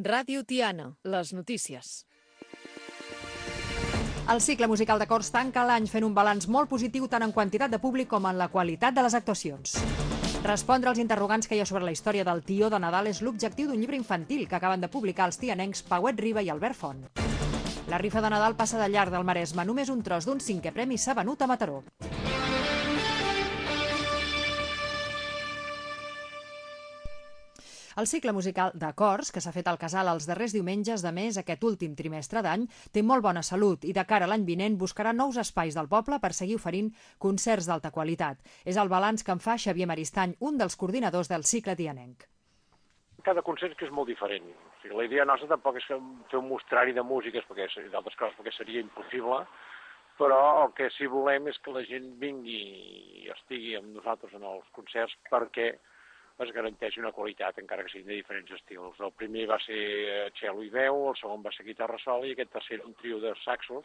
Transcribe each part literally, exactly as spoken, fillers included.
Ràdio Tiana, les notícies. El cicle musical de cors tanca l'any fent un balanç molt positiu tant en quantitat de públic com en la qualitat de les actuacions. Respondre als interrogants que hi ha sobre la història del Tió de Nadal és l'objectiu d'un llibre infantil que acaben de publicar els tianencs Pauet Riba i Albert Font. La rifa de Nadal passa de llarg del Maresme. Només un tros d'un cinquè premi s'ha venut a Mataró. El cicle musical de cors, que s'ha fet al Casal els darrers diumenges de mes aquest últim trimestre d'any, té molt bona salut i de cara a l'any vinent buscarà nous espais del poble per seguir oferint concerts d'alta qualitat. És el balanç que en fa Xavier Maristany, un dels coordinadors del cicle tianenc. Cada concert que és molt diferent. O sigui, la idea nostra tampoc és fer un mostrari de músiques, perquè d'altres coses perquè seria impossible, però el que sí volem és que la gent vingui i estigui amb nosaltres en els concerts perquè es garanteix una qualitat, encara que siguin de diferents estils. El primer va ser cello i veu, el segon va ser guitarra sola i aquest tercer un trio de saxos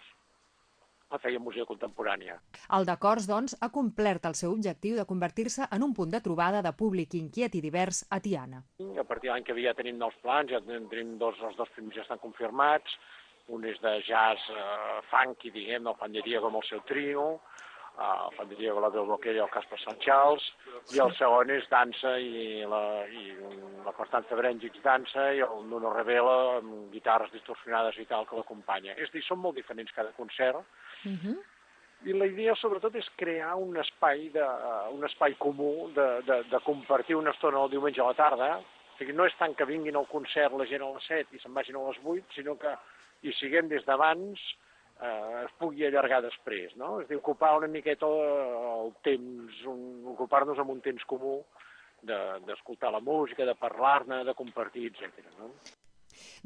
que feia música contemporània. El de cors, doncs, ha complert el seu objectiu de convertir-se en un punt de trobada de públic inquiet i divers a Tiana. A partir de l'any que ve ja tenim nous plans, ja tenim dos, els dos primers ja estan confirmats, un és de jazz eh, funky, diguem, del Juan de Diego amb el seu trio, el Juan de Diego, la del Bloquer i el Casper Sant Charles, i el segon és dansa i la, i la Constanza Brengix dansa i el Nuno Revela amb guitarres distorsionades i tal que l'acompanya. És a dir, són molt diferents cada concert, uh-huh. I la idea sobretot és crear un espai, de, un espai comú de, de, de compartir una estona el diumenge a la tarda. O sigui, no és tant que vinguin al concert la gent a les set i se'n vagin a les vuit, sinó que hi siguem des d'abans, Eh, es pugui allargar després, no? És a dir, ocupar una miqueta el temps, un, ocupar-nos amb un temps comú d'escoltar de, la música, de parlar-ne, de compartir, etcètera. No?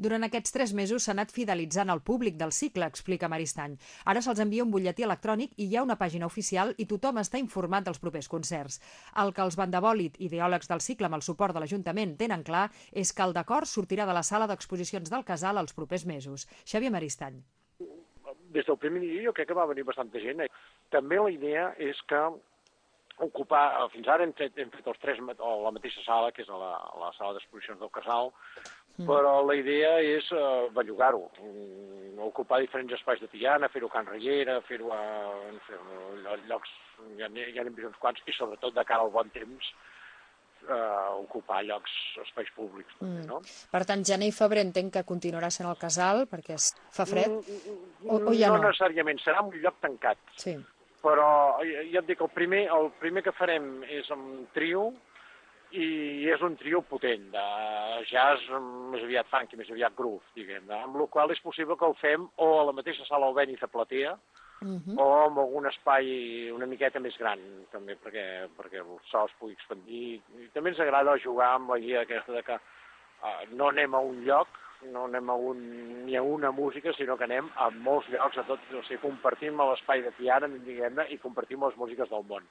Durant aquests tres mesos s'ha anat fidelitzant el públic del cicle, explica Maristany. Ara se'ls envia un butlletí electrònic i hi ha una pàgina oficial i tothom està informat dels propers concerts. El que els bandabòlit, ideòlegs del cicle amb el suport de l'Ajuntament, tenen clar és que el d'acord sortirà de la sala d'exposicions del Casal els propers mesos. Xavier Maristany. Des del primer dia jo crec que va venir bastanta gent. També la idea és que ocupar, fins ara hem fet, hem fet els tres a la mateixa sala, que és a la, a la sala d'exposicions del Casal, mm. però la idea és uh, bellugar-ho, ocupar diferents espais de Tiana, fer-ho a Can Riera, fer-ho a, a llocs, ja, ja n'hem vist uns quants, i sobretot de cara al bon temps, Uh, ocupar llocs, espais públics. Mm. No? Per tant, gener i febrer entenc que continuarà sent el Casal, perquè es fa fred, mm, o, o ja no? No necessàriament, serà un lloc tancat. Sí. Però ja et dic, el primer, el primer que farem és amb trio, i és un trio potent, de jazz més aviat funky, més aviat groove, diguem, amb la qual és possible que el fem o a la mateixa sala Albéniz a Platea, Uh-huh. o en algun espai una miqueta més gran, també, perquè, perquè el so es pugui expandir. I també ens agrada jugar amb la idea aquesta de que uh, no anem a un lloc, no anem a un, ni a una música, sinó que anem a molts llocs, a tot, o sigui, compartim l'espai de Tiana, diguem-ne, i compartim les músiques del món.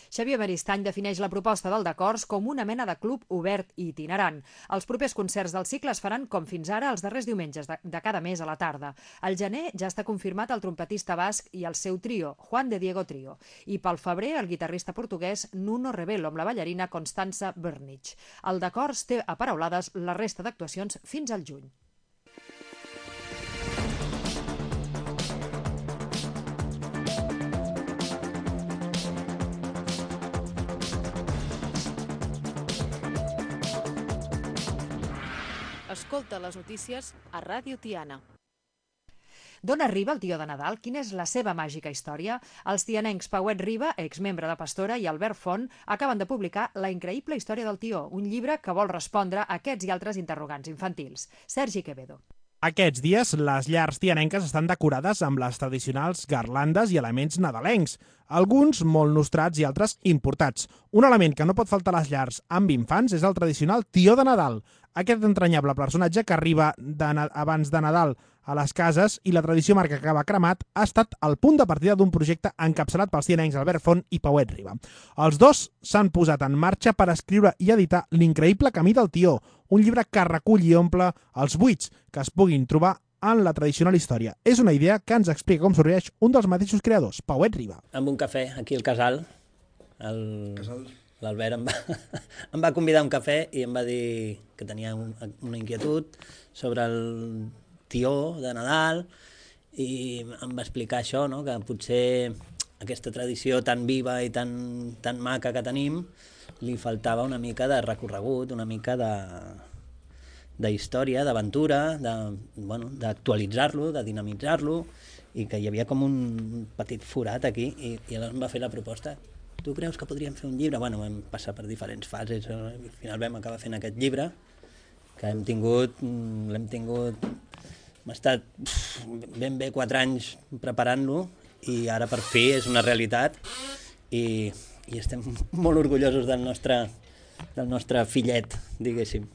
Xavier Maristany defineix la proposta del d'acords com una mena de club obert i itinerant. Els propers concerts del cicle es faran com fins ara els darrers diumenges de, de cada mes a la tarda. Al gener ja està confirmat el trompetista basc i el seu trio, Juan de Diego Trio. I pel febrer el guitarrista portuguès Nuno Revelo amb la ballarina Constanza Brengix. El d'acords té aparaulades la resta d'actuacions fins al juny. Escolta les notícies a Ràdio Tiana. D'on arriba el Tió de Nadal? Quina és la seva màgica història? Els tianencs Pauet Riba, exmembre de Pastora, i Albert Font acaben de publicar La increïble història del Tió, un llibre que vol respondre a aquests i altres interrogants infantils. Sergi Quevedo. Aquests dies, les llars tianenques estan decorades amb les tradicionals garlandes i elements nadalencs, alguns molt nostrats i altres importats. Un element que no pot faltar a les llars amb infants és el tradicional Tió de Nadal, aquest entranyable personatge que arriba de, abans de Nadal a les cases i la tradició marca que va cremat ha estat el punt de partida d'un projecte encapçalat pels tianencs Albert Font i Pauet Riba. Els dos s'han posat en marxa per escriure i editar L'increïble camí del Tió, un llibre que recull i omple els buits que es puguin trobar en la tradicional història. És una idea que ens explica com sorgeix un dels mateixos creadors, Pauet Riba. Amb un cafè aquí al Casal. El... Casal l'Albert em, va, em va convidar a un cafè i em va dir que tenia un, una inquietud sobre el tió de Nadal i em va explicar això, no? Que potser aquesta tradició tan viva i tan, tan maca que tenim li faltava una mica de recorregut, una mica de d'història, d'aventura, de, bueno, d'actualitzar-lo, de dinamitzar-lo, i que hi havia com un petit forat aquí, i, i llavors em va fer la proposta. Tu creus que podríem fer un llibre? Bueno, vam passar per diferents fases, i al final vam acabar fent aquest llibre, que hem tingut, l'hem tingut, hem estat ben bé quatre anys preparant-lo, i ara per fi és una realitat, i, i estem molt orgullosos del nostre, del nostre fillet, diguéssim.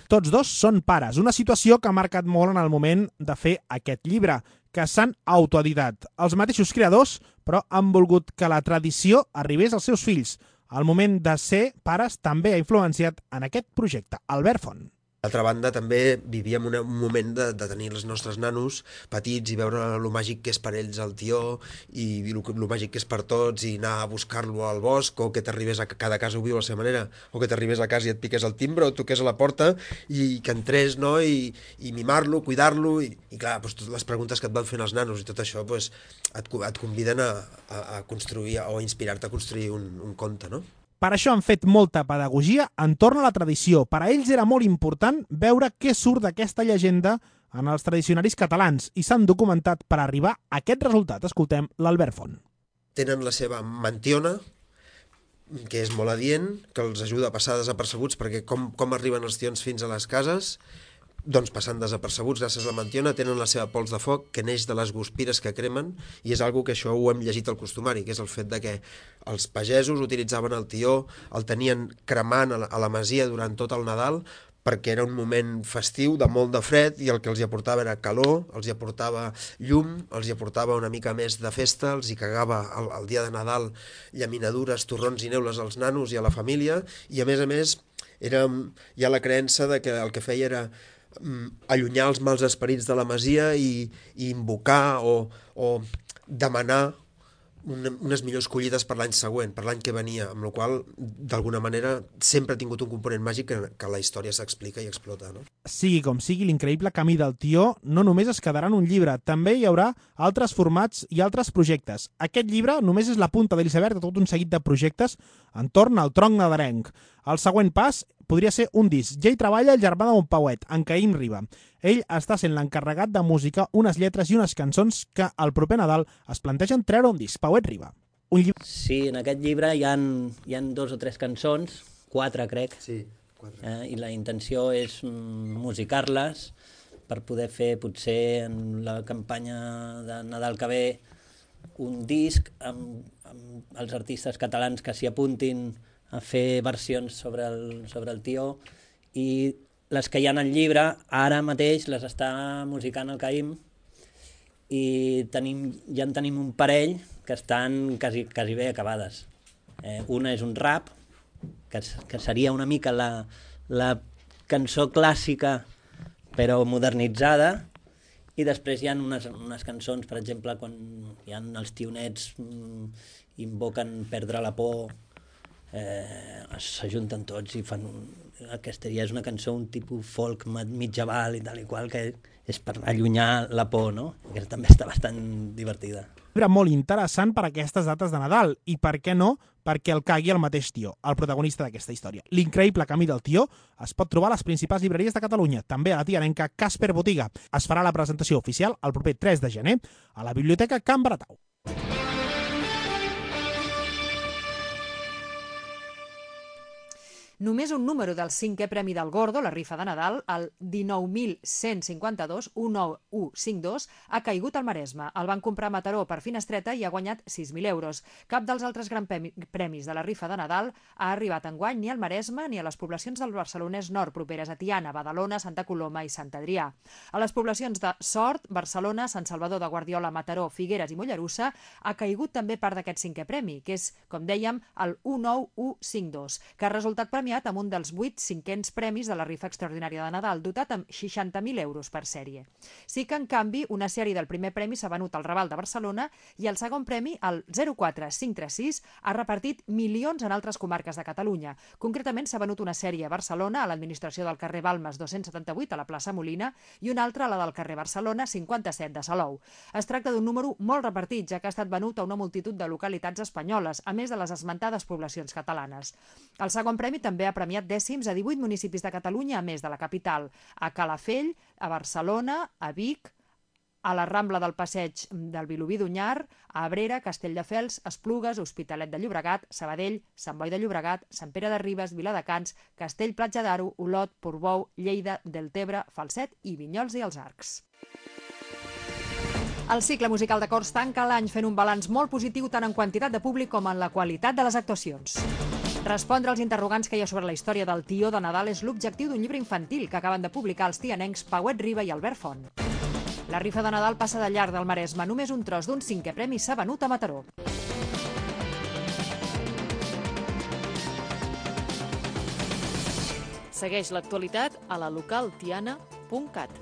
Tots dos són pares, una situació que ha marcat molt en el moment de fer aquest llibre, que s'han autoeditat. Els mateixos creadors, però han volgut que la tradició arribés als seus fills. El moment de ser pares també ha influenciat en aquest projecte. Albert Font. D'altra banda, també vivíem un moment de, de tenir els nostres nanos petits i veure lo màgic que és per ells el tió i lo, lo màgic que és per tots, i anar a buscar-lo al bosc, o que t'arribés a cada casa ho viu a la seva manera, o que t'arribés a casa i et piqués el timbre o toqués a la porta i que entrés, no? I, i mimar-lo, cuidar-lo, i, i clar, doncs, totes les preguntes que et van fent els nanos i tot això doncs, et, et conviden a, a, a construir o a inspirar-te a construir un, un conte, no? Per això han fet molta pedagogia entorn a la tradició. Per a ells era molt important veure què surt d'aquesta llegenda en els tradicionaris catalans i s'han documentat per arribar a aquest resultat. Escoltem l'Albert Font. Tenen la seva mantiona, que és molt adient, que els ajuda a passar desapercebuts, perquè com, com arriben els tions fins a les cases, doncs passant desapercebuts gràcies a la mantiona. Tenen la seva pols de foc, que neix de les guspires que cremen, i és algo que això ho hem llegit al costumari, que és el fet de que els pagesos utilitzaven el tió, el tenien cremant a la, a la masia durant tot el Nadal, perquè era un moment festiu de molt de fred i el que els hi aportava era calor, els hi aportava llum, els hi aportava una mica més de festa, els hi cagava el, el dia de Nadal llaminadures, torrons i neules als nanos i a la família, i a més a més era, hi ha la creença de que el que feia era allunyar els mals esperits de la masia i, i invocar o, o demanar una, unes millors collides per l'any següent, per l'any que venia, amb la qual d'alguna manera sempre ha tingut un component màgic que, que la història s'explica i explota, no? Sigui com sigui, l'increïble camí del tió no només es quedarà en un llibre, també hi haurà altres formats i altres projectes. Aquest llibre només és la punta de l'iceberg de tot un seguit de projectes entorn al tronc nadalenc. El següent pas podria ser un disc. Ja hi treballa el germà de Montpauet, en Caïm Riba. Ell està sent l'encarregat de música, unes lletres i unes cançons que al proper Nadal es plantegen treure un disc. Pauet Riba. Un llibre... Sí, en aquest llibre hi ha, hi ha dos o tres cançons, quatre crec, sí, quatre. Eh, i la intenció és musicar-les per poder fer potser en la campanya de Nadal que ve un disc amb, amb els artistes catalans que s'hi apuntin a fer versions sobre el, sobre el tió, i les que hi ha en el llibre ara mateix les està musicant el Caïm, i tenim, ja en tenim un parell que estan quasi, quasi bé acabades. Eh, una és un rap, que, que seria una mica la, la cançó clàssica però modernitzada, i després hi ha unes, unes cançons, per exemple, quan hi ha els tionets mmm, invoquen perdre la por, eh, s'ajunten tots i fan un, aquesta ja és una cançó, un tipus folk mitjaval i tal i qual, que és per allunyar la por, no? Que també està bastant divertida. Un llibre molt interessant per a aquestes dates de Nadal, i per què no, perquè el cagui el mateix tió, el protagonista d'aquesta història. L'increïble camí del tió es pot trobar a les principals llibreries de Catalunya, també a la tianenca Casper Botiga. Es farà la presentació oficial el proper tres de gener a la Biblioteca Can Baratau. Només un número del cinquè Premi del Gordo, la rifa de Nadal, el dinou mil cent cinquanta-dos, un nou u cinquanta-dos, ha caigut al Maresme. El van comprar a Mataró per finestreta i ha guanyat sis mil euros. Cap dels altres grans premis de la rifa de Nadal ha arribat enguany ni al Maresme ni a les poblacions del Barcelonès Nord, properes a Tiana, Badalona, Santa Coloma i Sant Adrià. A les poblacions de Sort, Barcelona, Sant Salvador de Guardiola, Mataró, Figueres i Mollerussa ha caigut també part d'aquest cinquè premi, que és, com dèiem, el un nou u cinquanta-dos, que ha resultat premiat premiat amb un dels vuit cinquens premis de la rifa extraordinària de Nadal, dotat amb seixanta mil euros per sèrie. Sí que, en canvi, una sèrie del primer premi s'ha venut al Raval de Barcelona i el segon premi, el zero quatre cinc tres sis, ha repartit milions en altres comarques de Catalunya. Concretament, s'ha venut una sèrie a Barcelona, a l'administració del carrer Balmes dos-cents setanta-vuit, a la plaça Molina, i una altra a la del carrer Barcelona cinquanta-set de Salou. Es tracta d'un número molt repartit, ja que ha estat venut a una multitud de localitats espanyoles, a més de les esmentades poblacions catalanes. El segon premi també ha premiat dècims a divuit municipis de Catalunya, a més de la capital, a Calafell, a Barcelona, a Vic, a la Rambla del Passeig del Vilobí d'Onyar, a Abrera, Castelldefels, Esplugues, Hospitalet de Llobregat, Sabadell, Sant Boi de Llobregat, Sant Pere de Ribes, Viladecans, Castell Platja d'Aro, Olot, Portbou, Lleida, Deltebre, Falset i Vinyols i els Arcs. El cicle musical de cors tanca l'any fent un balanç molt positiu tant en quantitat de públic com en la qualitat de les actuacions. Respondre als interrogants que hi ha sobre la història del tió de Nadal és l'objectiu d'un llibre infantil que acaben de publicar els tianencs Pauet Riba i Albert Font. La rifa de Nadal passa de llarg del Maresme. Només un tros d'un cinquè premi s'ha venut a Mataró. Segueix l'actualitat a la local tiana punt cat.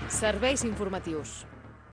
Serveis informatius.